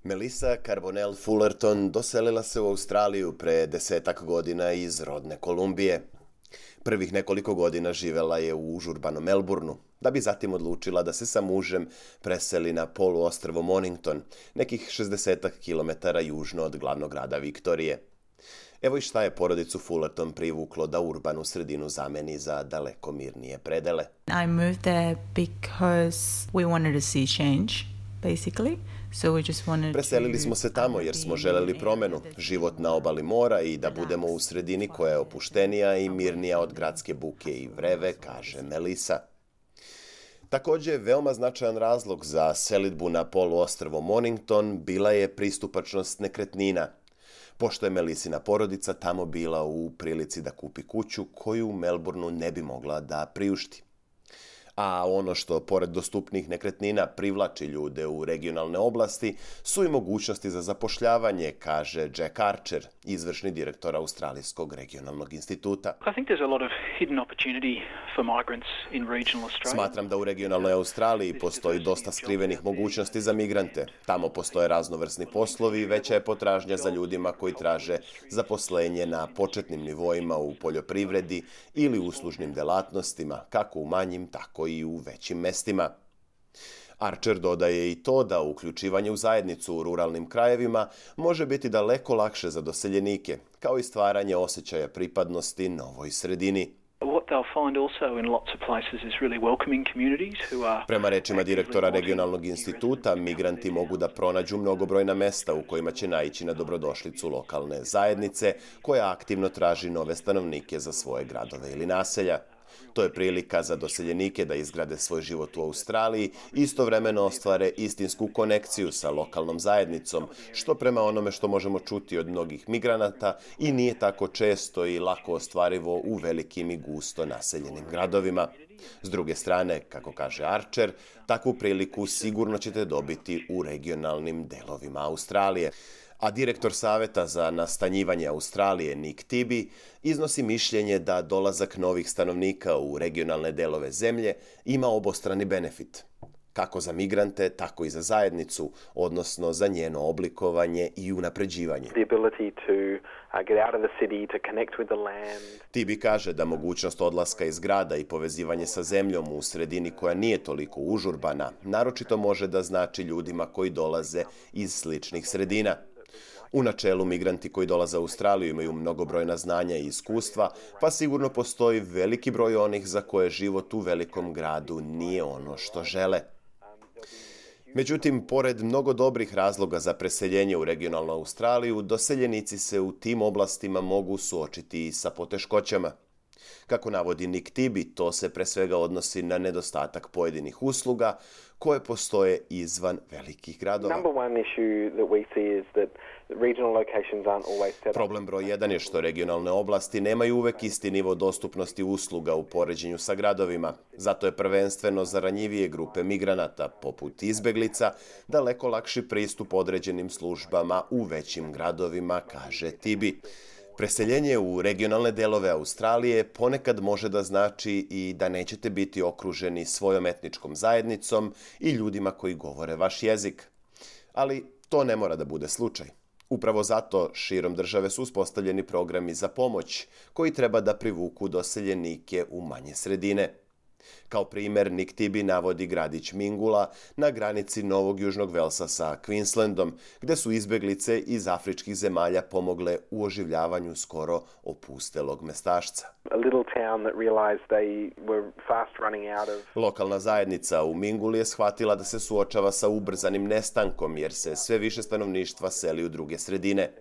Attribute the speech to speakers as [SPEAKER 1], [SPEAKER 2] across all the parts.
[SPEAKER 1] Melissa Carbonell Fullerton doselila se u Australiju pre 10 godina iz rodne Kolumbije. Prvih nekoliko godina živela je u užurbanom Melbourneu, da bi zatim odlučila da se sa mužem preseli na poluostrvo Mornington, nekih 60 km južno od glavnog grada Viktorije. Evo i šta je porodicu Fullerton privuklo da urbanu sredinu zameni za daleko mirnije predele.
[SPEAKER 2] I moved there because we wanted to see change, basically. So we just wanted
[SPEAKER 1] Preselili smo se tamo jer smo želeli promenu, život na obali mora i da budemo u sredini koja je opuštenija i mirnija od gradske buke i vreve, kaže Melissa. Također, veoma značajan razlog za selidbu na poluostrvo Mornington bila je pristupačnost nekretnina, pošto je Melissina porodica tamo bila u prilici da kupi kuću koju u Melbourneu ne bi mogla da priušti. A ono što, pored dostupnih nekretnina, privlači ljude u regionalne oblasti su i mogućnosti za zapošljavanje, kaže Jack Archer, izvršni direktor Australijskog regionalnog instituta. Smatram da u regionalnoj Australiji postoji dosta skrivenih mogućnosti za migrante. Tamo postoje raznovrsni poslovi i veća je potražnja za ljudima koji traže zaposlenje na početnim nivoima u poljoprivredi ili uslužnim delatnostima, kako u manjim, tako i u većim mestima. Archer dodaje i to da uključivanje u zajednicu u ruralnim krajevima može biti daleko lakše za doseljenike, kao i stvaranje osjećaja pripadnosti novoj sredini. Prema rečima direktora regionalnog instituta, migranti mogu da pronađu mnogobrojna mesta u kojima će naići na dobrodošlicu lokalne zajednice, koja aktivno traži nove stanovnike za svoje gradove ili naselja. To je prilika za doseljenike da izgrade svoj život u Australiji i istovremeno ostvare istinsku konekciju sa lokalnom zajednicom, što prema onome što možemo čuti od mnogih migranata i nije tako često i lako ostvarivo u velikim i gusto naseljenim gradovima. S druge strane, kako kaže Archer, takvu priliku sigurno ćete dobiti u regionalnim delovima Australije. A direktor Saveta za nastanjivanje Australije, Nick Tibby, iznosi mišljenje da dolazak novih stanovnika u regionalne delove zemlje ima obostrani benefit, kako za migrante, tako i za zajednicu, odnosno za njeno oblikovanje i unapređivanje. Tibby kaže da mogućnost odlaska iz grada i povezivanje sa zemljom u sredini koja nije toliko užurbana, naročito može da znači ljudima koji dolaze iz sličnih sredina. U načelu, migranti koji dolaze u Australiju imaju mnogobrojna znanja i iskustva, pa sigurno postoji veliki broj onih za koje život u velikom gradu nije ono što žele. Međutim, pored mnogo dobrih razloga za preseljenje u regionalnu Australiju, doseljenici se u tim oblastima mogu suočiti i sa poteškoćama. Kako navodi Nick Tibby, to se pre svega odnosi na nedostatak pojedinih usluga koje postoje izvan velikih gradova. Problem broj 1 je što regionalne oblasti nemaju uvek isti nivo dostupnosti usluga u poređenju sa gradovima. Zato je prvenstveno za ranjivije grupe migranata, poput izbeglica, daleko lakši pristup određenim službama u većim gradovima, kaže Tibby. Preseljenje u regionalne delove Australije ponekad može da znači i da nećete biti okruženi svojom etničkom zajednicom i ljudima koji govore vaš jezik. Ali to ne mora da bude slučaj. Upravo zato širom države su uspostavljeni programi za pomoć koji treba da privuku doseljenike u manje sredine. Kao primjer, Nick Tibby navodi gradić Mingula na granici Novog Južnog Velsa sa Queenslandom, gde su izbeglice iz afričkih zemalja pomogle u oživljavanju skoro opustelog mestašca. Lokalna zajednica u Minguli je shvatila da se suočava sa ubrzanim nestankom jer se sve više stanovništva seli u druge sredine.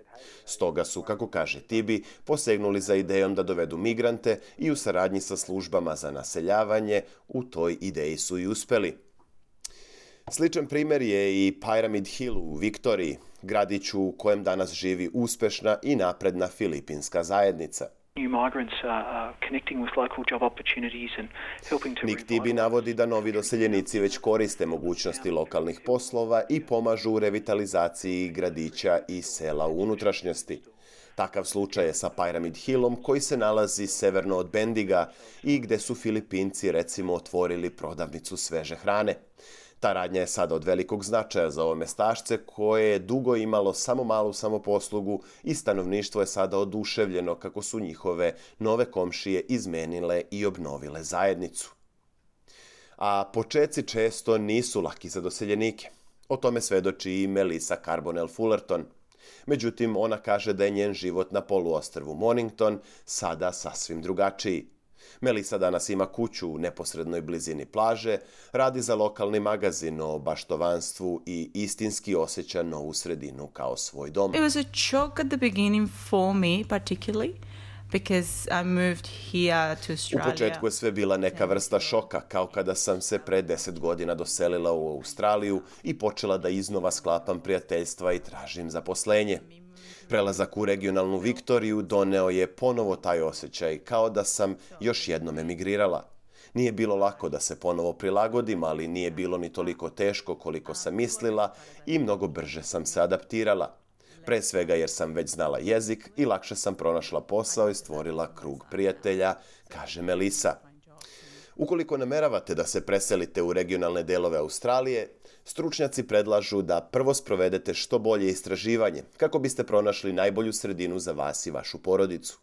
[SPEAKER 1] Stoga su, kako kaže Tibby, posegnuli za idejom da dovedu migrante i u saradnji sa službama za naseljavanje u toj ideji su i uspeli. Sličan primjer je i Pyramid Hill u Viktoriji, gradiću u kojem danas živi uspešna i napredna filipinska zajednica. Nick Tibby navodi da novi doseljenici već koriste mogućnosti lokalnih poslova i pomažu u revitalizaciji gradića i sela u unutrašnjosti. Takav slučaj je sa Pyramid Hillom koji se nalazi severno od Bendiga i gde su Filipinci recimo otvorili prodavnicu sveže hrane. Ta radnja je sada od velikog značaja za ove mestašce koje je dugo imalo samo malu samoposlugu i stanovništvo je sada oduševljeno kako su njihove nove komšije izmenile i obnovile zajednicu. A počeci često nisu laki za doseljenike. O tome svedoči i Melissa Carbonell Fullerton. Međutim, ona kaže da je njen život na poluostrvu Mornington sada sasvim drugačiji. Melissa danas ima kuću u neposrednoj blizini plaže, radi za lokalni magazin o baštovanstvu i istinski osjeća novu sredinu kao svoj dom.
[SPEAKER 2] It was a shock at the beginning for me particularly. Because I moved here to Australia.
[SPEAKER 1] U početku je sve bila neka vrsta šoka, kao kada sam se pre 10 godina doselila u Australiju i počela da iznova sklapam prijateljstva i tražim zaposlenje. Prelazak u regionalnu Viktoriju doneo je ponovo taj osjećaj, kao da sam još jednom emigrirala. Nije bilo lako da se ponovo prilagodim, ali nije bilo ni toliko teško koliko sam mislila i mnogo brže sam se adaptirala. Pre svega jer sam već znala jezik i lakše sam pronašla posao i stvorila krug prijatelja, kaže Melissa. Ukoliko nameravate da se preselite u regionalne delove Australije, stručnjaci predlažu da prvo sprovedete što bolje istraživanje kako biste pronašli najbolju sredinu za vas i vašu porodicu.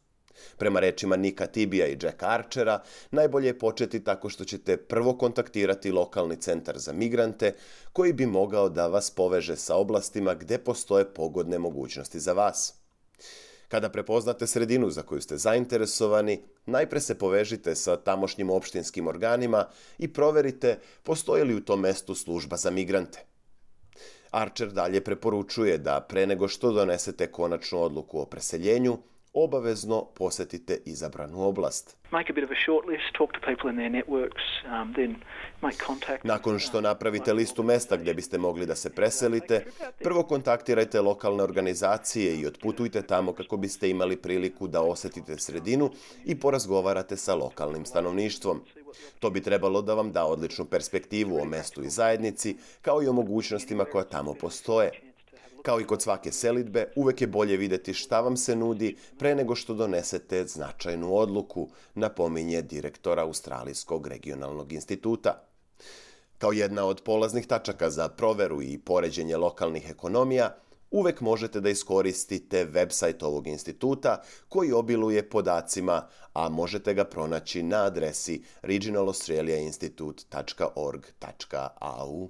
[SPEAKER 1] Prema rečima Nika Tibija i Jacka Archera, najbolje je početi tako što ćete prvo kontaktirati lokalni centar za migrante koji bi mogao da vas poveže sa oblastima gde postoje pogodne mogućnosti za vas. Kada prepoznate sredinu za koju ste zainteresovani, najpre se povežite sa tamošnjim opštinskim organima i proverite postoji li u tom mestu služba za migrante. Archer dalje preporučuje da pre nego što donesete konačnu odluku o preseljenju, obavezno posetite izabranu oblast. Nakon što napravite listu mesta gdje biste mogli da se preselite, prvo kontaktirajte lokalne organizacije i otputujte tamo kako biste imali priliku da osetite sredinu i porazgovarate sa lokalnim stanovništvom. To bi trebalo da vam da odličnu perspektivu o mestu i zajednici, kao i o mogućnostima koja tamo postoje. Kao i kod svake selidbe, uvek je bolje vidjeti šta vam se nudi pre nego što donesete značajnu odluku, napominje direktor Australijskog regionalnog instituta. Kao jedna od polaznih tačaka za proveru i poređenje lokalnih ekonomija, uvek možete da iskoristite website ovog instituta koji obiluje podacima, a možete ga pronaći na adresi regionalaustraliainstitute.org.au.